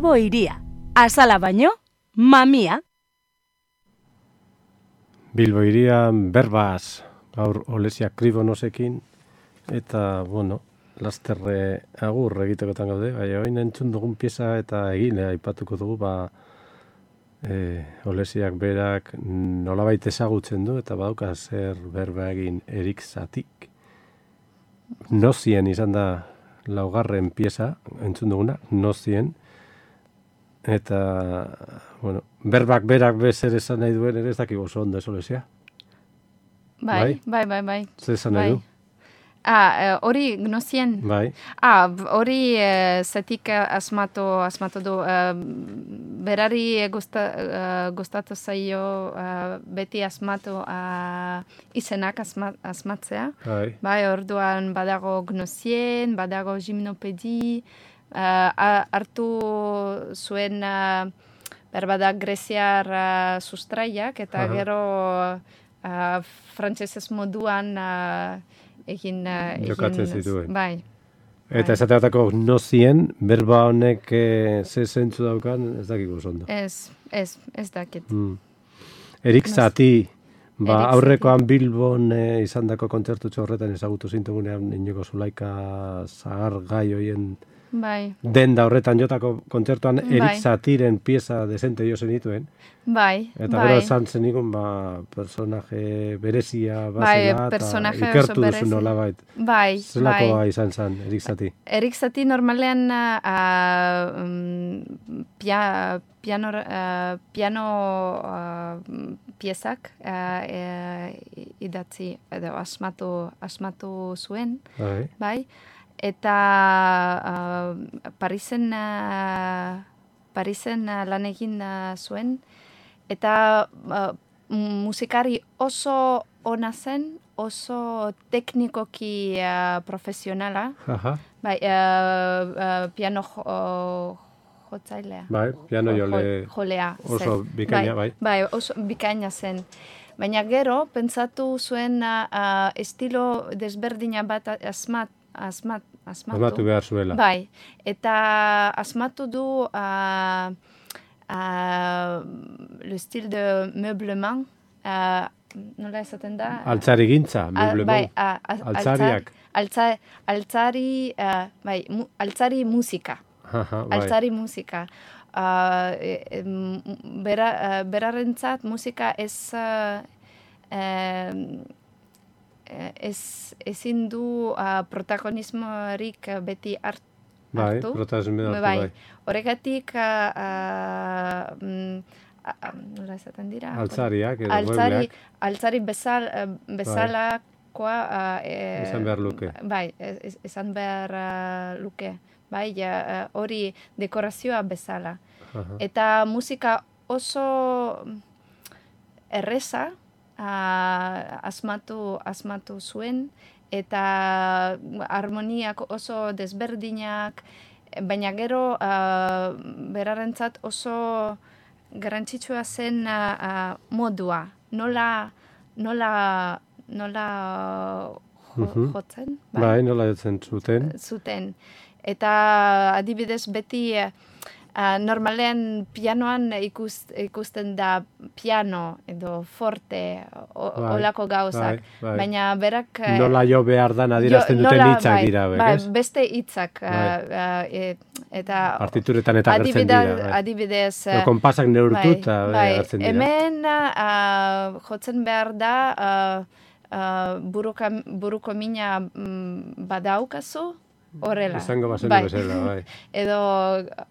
Bilbo iria. Azala baino, mamia. Bilbo irian berbaz, gaur Olesia Kribonosekin, eta, bueno, lasterre agur egitekotan gaude, baina oin entzun dugun pieza eta egin, eh, aipatuko dugu, ba, e, Olesiak berak nolabait ezagutzen du, eta badauka zer berba egin Erik Zatik. Nozien izan da laugarren pieza, entzun duguna, Nozien, eta, bueno, berbak berak bezer esan nahi duen, ere ez dakik oso ondo ez Olesia. Bai, bai, bai, bai. Zer esan nahi du? Ah, hori Gnozien. Bai. Ah, hori uh, zetik asmatu, asmatu du. Uh, berari gusta, uh, gustatu zaio uh, beti asmatu uh, izenak asma, asmatzea. Bai. Bai, orduan badago Gnozien, badago gimnopedi, uh, hartu zuen uh, berbada greziar uh, sustraiak, eta Aha. gero uh, frantsesez moduan uh, egin... Uh, Jokatzen egin- zituen. Bai. Eta esateatako Nozien, berba honek e, ze zentzu daukan, ez dakik oso ondo. Ez, ez, ez dakit. Mm. Erik Zati, ba, Erik aurrekoan Bilbon e, izandako kontzertutxo horretan ezagutu zintugunean Inigo Zulaika zahar gai hoien Bai, denda horretan jotako kontzertuan Bai. Erik Zatiren pieza dezente jo zenituen. bai, Eta bai. gero esan zenikun, ba, personaje berezia Bai, bazela, eta personaje oso ikertu duzu berezi. nolabait. Bai, Zelakoa bai. izan zen, Erik Zati. Erik Zati normalean uh, um, pia, piano, uh, piano uh, piezak uh, uh, idatzi, edo asmatu, asmatu zuen, Bai. bai, eta uh, Parisen, uh, Parisen uh, lan egin uh, zuen, eta uh, musikari oso ona zen, oso teknikoki uh, profesionala, Aha. bai, uh, uh, piano jo, uh, jotzailea. Bai, piano Jo- jole jo- jolea oso zen. bikaina, bai. Bai, oso bikaina zen. Baina gero, pentsatu zuen uh, uh, estilo desberdina bat asmat, asmat, asmatu. Asmatu behar zuela. Bai, eta asmatu du uh, uh, le style de meublement, uh, nola esaten da? Altzari gintza, Ah, meublement. bai, ah, ah, Altzariak. Altza, altzari, uh, bai, mu, altzari musika. Aha, bai. Altzari musika. Uh, e, em, bera, uh, berarentzat musika ez, uh, em, eh, ez ezin du uh, protagonismorik uh, beti hart, Bai, hartu. protagonismo hartu, bai. bai. Horregatik, uh, uh, mm, a- a- nola esaten dira? Altzariak edo altzari, muebleak. altzari bezal, uh, bezalakoa uh, e, Izan behar luke. Bai, ez- izan behar uh, luke. Bai, ja, uh, hori dekorazioa bezala. Aha. Eta musika oso erreza uh, asmatu, asmatu zuen, eta harmoniak oso desberdinak, baina gero uh, berarentzat oso garrantzitsua zen uh, uh, modua. Nola, nola, nola jo, Mhm. jotzen? Bai, nola jotzen zuten. Zuten. Eta adibidez beti uh, normalean pianoan ikust, ikusten da piano edo forte o, Bai, olako gauzak. bai, bai. Baina berak... eh, Nola jo behar dan adierazten jo- duten nola, hitzak bai, dira, bai, ez? beste hitzak. Bai. uh, uh, e, eta Partituretan eta agertzen adibida- dira. Bai. Adibidez... Edo eh, konpasak neurtu eta bai, agertzen dira. hemen uh, jotzen behar da uh, uh, buruka, buruko mina mm, badaukazu, horrela. Izango bazen Bai. bezala, bai. Edo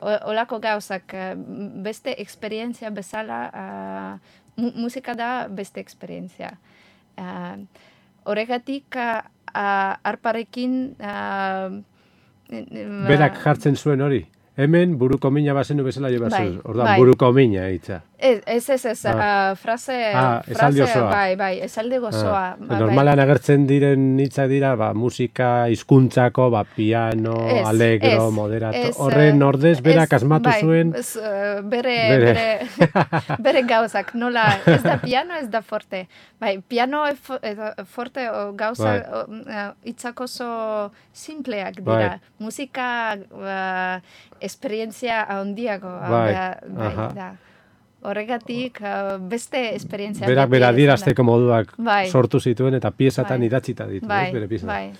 o- olako gauzak, eh, beste esperientzia bezala, uh, mu musika da beste esperientzia. Uh, horregatik, uh, uh, arparekin... Uh, Berak jartzen zuen hori. Hemen buruko mina bazenu bezala jo behar Bai, zuen. Orduan, bai. buruko mina hitza. Ez, ez, ez, ez, Ah. uh, frase, Ah, esaldi frase, osoa. bai, bai, esaldi gozoa. Ah, bai, normalean agertzen diren hitzak dira, ba, musika hizkuntzako, ba, piano, Ez, allegro, ez, moderato. ez, Horren eh, ordez, berak ez, asmatu bai, zuen. ez, eh, bere, Bere. bere, bere gauzak, nola, ez da piano, ez da forte. Bai, piano e fo- edo forte o gauza, Bai. o, eh, hitzak oso simpleak Bai. dira. Musika, uh, esperientzia handiago, Bai, bai, aha. da. Horregatik, uh, beste esperientzia. Berak beti bera izan da. adierazteko moduak Bai. sortu zituen eta piezatan Bai. idatzita ditu, Bai, ez, bere piezak. bai,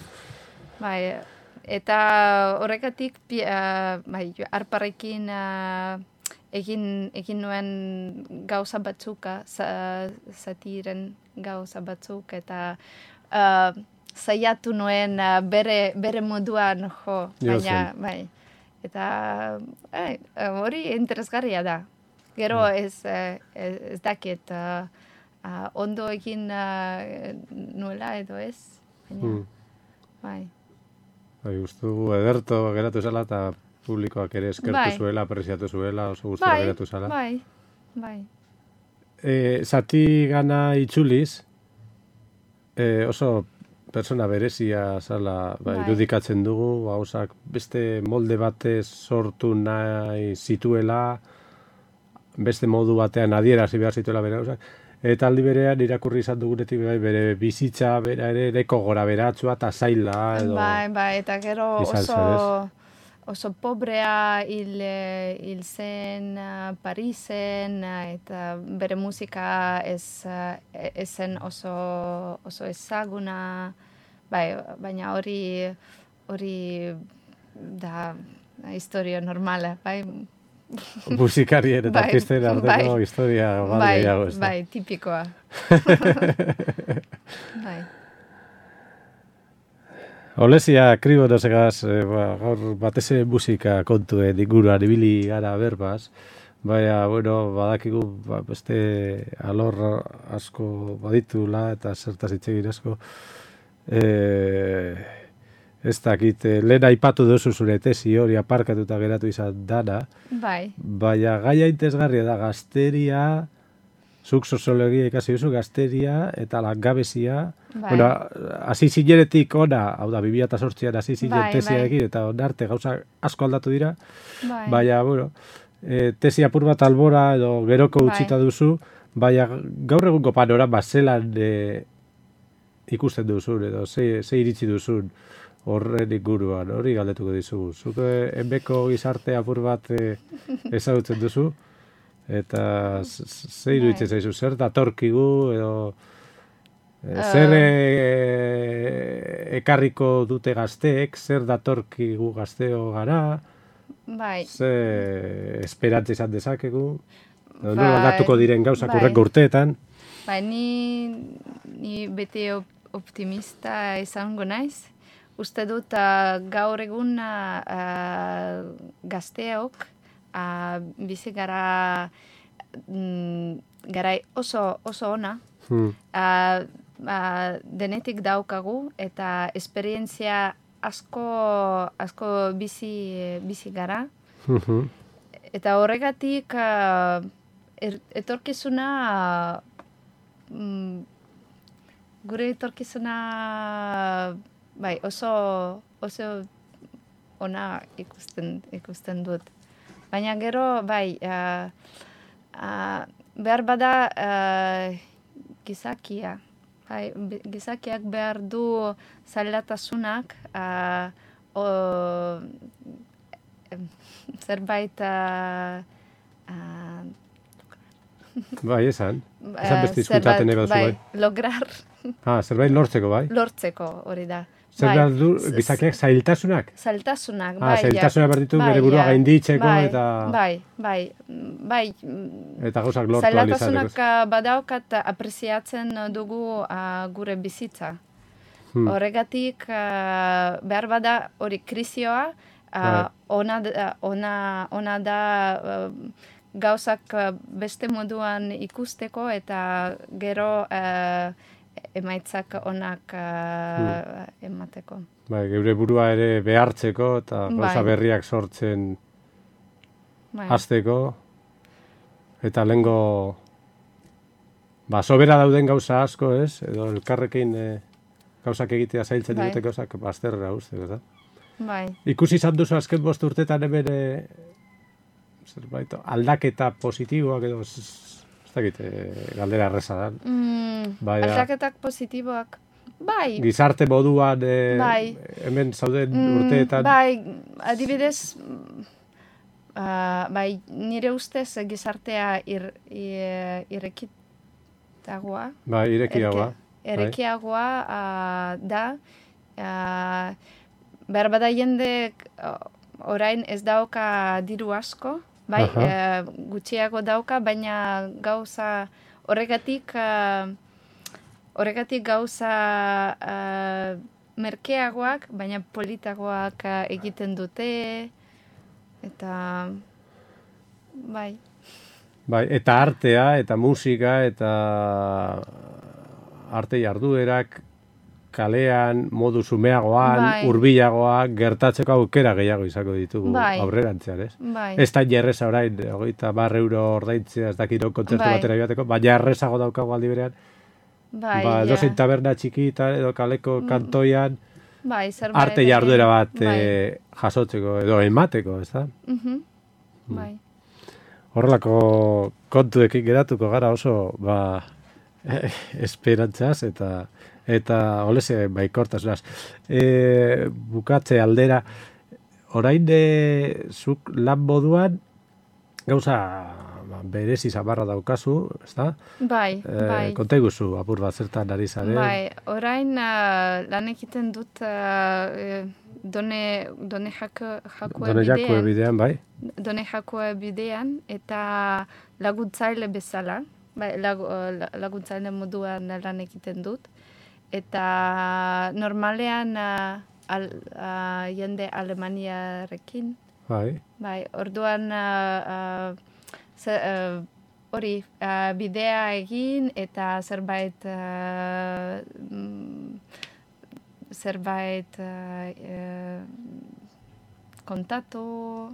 bai. Eta horregatik, pi- uh, bai, arparekin uh, egin, egin nuen gauza batzuk, uh, za, zatiren gauza batzuk, eta uh, saiatu nuen uh, bere, bere moduan jo, baina, Jotzen. bai. Eta eh, hori interesgarria da. Gero ez, eh, ez, ez dakit uh, uh, ondo egin uh, nuela edo ez. Baina, Mm. bai. Bai, gustu ederto geratu zela eta publikoak ere eskertu Bai. zuela, apreziatu zuela, oso gustura Bai, geratu zela. bai, bai. E, zati gana itzuliz, e, oso persona berezia zala ba, Bai. irudikatzen dugu, gauzak beste molde batez sortu nahi zituela, beste modu batean adierazi behar zituela bere gauzak, eta aldi berean irakurri izan dugunetik bai, bere bizitza, bera ere neko gora beratzua eta zaila edo... Bai, bai, eta gero izan oso, zen, oso pobrea hil, eh, hil zen uh, Parisen, uh, eta bere musika ez, uh, ez zen oso, oso ezaguna, bai, baina hori, hori da historia normala, bai. Musikarien eta Bai, artisten arteko bai. historia bat Bai, gehiago, ez da? bai, tipikoa. Bai. Olezia kriborosegaz, e, ba, gaur batez ere musika kontuen inguruan ibili gara berbaz, baina, bueno, badakigu ba, beste alor asko baditula eta zertaz hitz egin asko. E, ez dakit, e, lehen aipatu duzu zure tesi hori aparkatuta geratu izan dana, Bai, baina gaia interesgarria da gazteria, zuk soziologia ikasi duzu, gazteria eta langabezia. Bai. Bueno, hasi zinenetik ona, hau da, bi mila zortzian hasi zinen Bai, tesiarekin, eta onarte gauza asko aldatu dira, bai. baina, bueno, e, tesi apur bat albora edo geroko Bai. utzita duzu, baina gaur egungo panorama zelan e, ikusten duzun, edo ze, ze iritsi duzun horren inguruan, hori galdetuko dizugu. Zuk e, enbeko gizarte apur bat e, ezagutzen duzu, eta z- z- ze iruditzen Bai. zaizu, zer datorkigu, edo e, Eh. zer e, ekarriko dute gazteek, zer datorkigu gazteo gara, Bai. ze esperantza izan dezakegu, edo Bai, nola aldatuko diren gauzak bai. urrengo urteetan. Bai, ni, ni beti op- optimista izango naiz. Uste dut uh, gaur egun uh, gazteok uh, bizi gara mm, garai oso, oso ona. Hmm. Uh, uh, denetik daukagu eta esperientzia asko, asko bizi, bizi gara. Mhm. Eta horregatik uh, er, etorkizuna mm, gure etorkizuna bai, oso, oso ona ikusten, ikusten dut. Baina gero, bai, uh, uh, behar bada uh, gizakia. Bai, be- gizakiak behar du zailatasunak uh, o, em, zerbait uh, uh, Bai, esan. eh, Esan beste hizkuntzaten nahi baduzu, bai, bai. lograr Ah, zerbait lortzeko, bai. lortzeko hori da. Zer Bai, behar du z- gizakiak zailtasunak? Zailtasunak, Ah, bai. zailtasunak behar ditu bai, bere burua ja. gainditzeko bai, eta- Bai, bai, mm, bai. mm, Eta gauzak lortu ahal Zailtasunak izateko. uh, badaukat apreziatzen dugu uh, gure bizitza. Hmm. Horregatik uh, behar bada hori krizioa, uh, Bai. ona, da- ona, ona da uh, gauzak uh, beste moduan ikusteko eta gero uh, emaitzak onak uh, emateko. Bai, geure burua ere behartzeko eta gauza Bai. berriak sortzen Bai. hasteko. Eta lehengo, ba, sobera dauden gauza asko, ez? Edo elkarrekin e, gauzak egitea zailtzen Bai. dute gauzak bazterra uste, ez da? Bai. Ikusi izan duzu azken bost urtetan hemen e, zerbait, aldaketa positiboak edo, ez ez dakit, e, galdera erreza da. Mm, Bai, da. aldaketak positiboak. Bai. Gizarte moduan e, Bai. hemen zauden Mm, urteetan. Bai, adibidez, uh, bai, nire ustez gizartea ir, ir, irekitagoa. Bai, irekiagoa. Erke- Erekiagoa uh, da, uh, behar bada jendek uh, orain ez dauka diru asko, bai, uh, gutxiago dauka, baina gauza horregatik, uh, horregatik gauza uh, merkeagoak, baina politagoak uh, egiten dute, eta bai. Bai, eta artea, eta musika, eta arte jarduerak kalean, modu zumeagoan, Bai. hurbilagoak, gertatzeko aukera gehiago izango ditugu Bai. aurrerantzean, ez? Bai. Ez da jerreza orain, hogeita bar euro ordaintzea, ez dakiro kontzertu Bai. batera joateko, baina errezago daukago aldi berean, Bai, ba, ja. edozein taberna txikita, edo kaleko kantoian, Bai, zerbait arte jarduera bat bai. eh, jasotzeko, edo emateko, ez da? Mhm. Bai. Horrelako kontuekin geratuko gara oso, ba, esperantzaz eta eta olese baikortasunaz. E, bukatze aldera, orain de, zuk lan moduan gauza ba, berezi zabarra daukazu, ezta? Bai, E, bai. konta iguzu, apur bat zertan ari zaren. Bai, orain uh, lan egiten dut uh, eh, done, done jako, jakue Done jakue bidean, bidean, bai? done jakue bidean, eta laguntzaile bezala, bai, lag, uh, laguntzaile moduan lan egiten dut, eta normalean uh, al, uh, jende Alemaniarekin, Bai. bai, orduan uh, uh, ze, uh, hori uh, bidea egin eta zerbait uh, mm, zerbait uh, uh, kontatu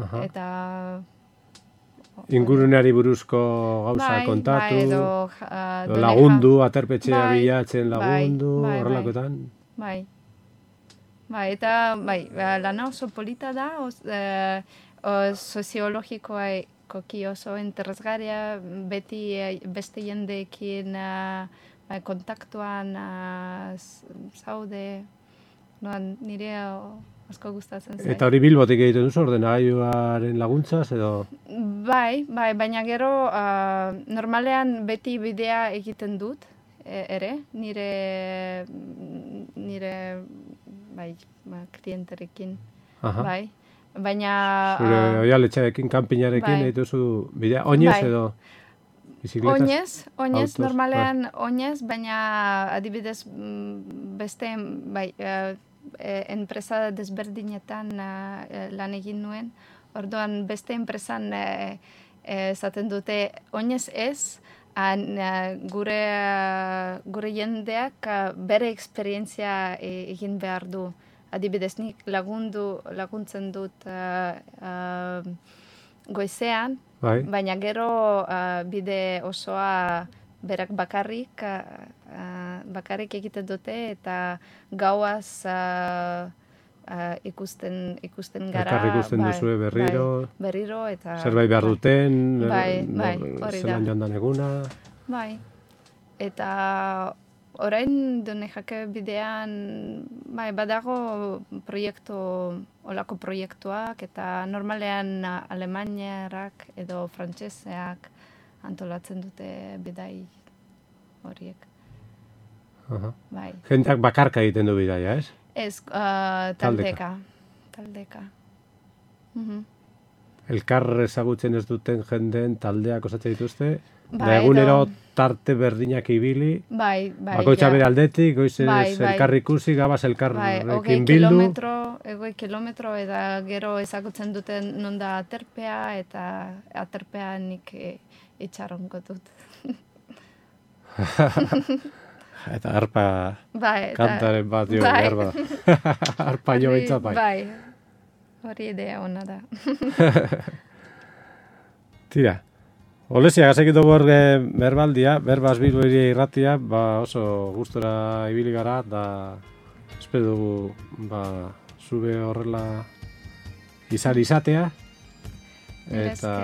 Aha. eta Inguruneari buruzko gauza bai, kontatu, bai, edo, uh, edo done lagundu, aterpetxea Bai, bilatzen bai, lagundu, bai, bai. horrelakoetan. Bai. Bai, eta bai, lana oso polita da, os, eh, o, soziologikoki oso interesgarria, beti eh, beste jendeekin eh, bai, kontaktuan eh, zaude, noan, nire o, asko gustatzen zait. Eta hori Bilbotik egiten duzu, ordenagailuaren laguntzaz, edo... Bai, bai, baina gero uh, normalean beti bidea egiten dut, e, ere, nire, nire, bai, ba, klienterekin, Aha. bai. Baina... Zure uh, oialetxearekin, kanpinarekin bai. egiten duzu bidea. Oinez Bai. edo bizikletas? Oinez, oinez, Autoz, normalean oinez, baina adibidez mm, beste, bai, uh, eh, enpresa desberdinetan uh, lan egin nuen, orduan beste enpresan eh, eh, esaten dute oinez ez, an, uh, gure, uh, gure jendeak uh, bere esperientzia eh, egin behar du. Adibidez, nik lagundu, laguntzen dut uh, uh, goizean, Bai. baina gero uh, bide osoa berak bakarrik, uh, uh, bakarrik egiten dute eta gauaz uh, uh, ikusten, ikusten gara. Elkar ikusten duzue berriro. Bai, berriro eta... Zerbait behar bai. duten, Bai, nor- bai, hori da. zelan joan dan eguna. Bai. Eta orain done jake bidean, bai, badago proiektu, olako proiektuak, eta normalean alemaniarak edo frantseseak antolatzen dute bidai horiek. Aha. Bai. Jendeak bakarka egiten du bidaia, ez? Ez, uh, taldeka. Taldeka. Mhm. Elkar ezagutzen ez duten jendeen taldeak osatzen dituzte, Bai, da egunero edo- tarte berdinak ibili, Bai, bai. bakoitza ja. bere aldetik, goizez Bai, bai. elkar ikusi, gabaz Bai, elkarrekin hogei bildu. kilometro, hogei kilometro, eta gero ezagutzen duten non da aterpea, eta aterpea nik e, itxarongo dut. Eta harpa Bai, eta, kantaren bat jo, bai. behar bada. Harpa jo Hori- behintzat bai. Bai, hori idea ona da. Tira, Olezia, gazekit dugu hor berbaldia, berbaz Bilbo Hiria irratia, ba oso gustora ibili gara, da espero dugu ba, zube horrela izan izatea, eta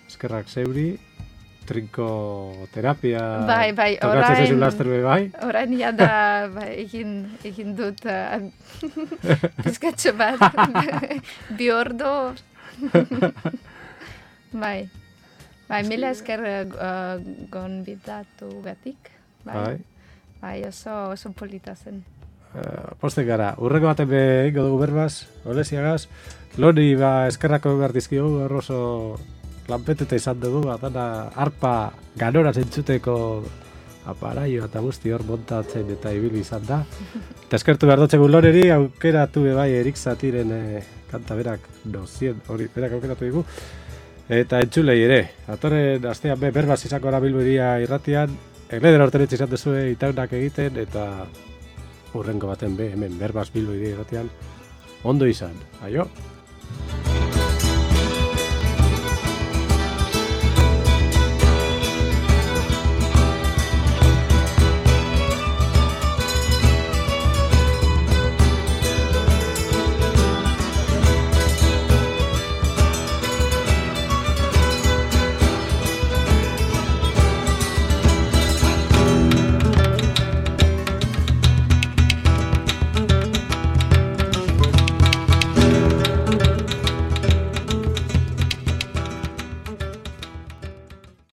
eskerrak zeuri, trinko terapia, bai, bai, tokatzen zezu laster be bai. Orain ja da, bai, egin, egin dut uh, pizkatxo bat, bi ordo. Bai. Bai, mila esker uh, gonbidatu gatik. Bai. Bai. Bai, oso, oso polita zen. Uh, Postek gara, urreko baten be ingo dugu berbaz, Oleziagaz. Loni ba eskerrako behar dizkigu, oso lanpetuta izan dugu, atana arpa ganora zentzuteko aparaio eta guzti hor montatzen eta ibili izan da. Eta eskertu behar dotzegu Loreri, aukeratu be bai Erik Zatiren eh, kanta berak dozien, hori berak aukeratu digu. Eta entzulei ere, atorren astean be berbaz izango gara Bilbo Hiria irratian, egleder hortenetxe izan duzue itaunak egiten, eta urrengo baten be, hemen berbaz Bilbo Hiria irratian, ondo izan, aio!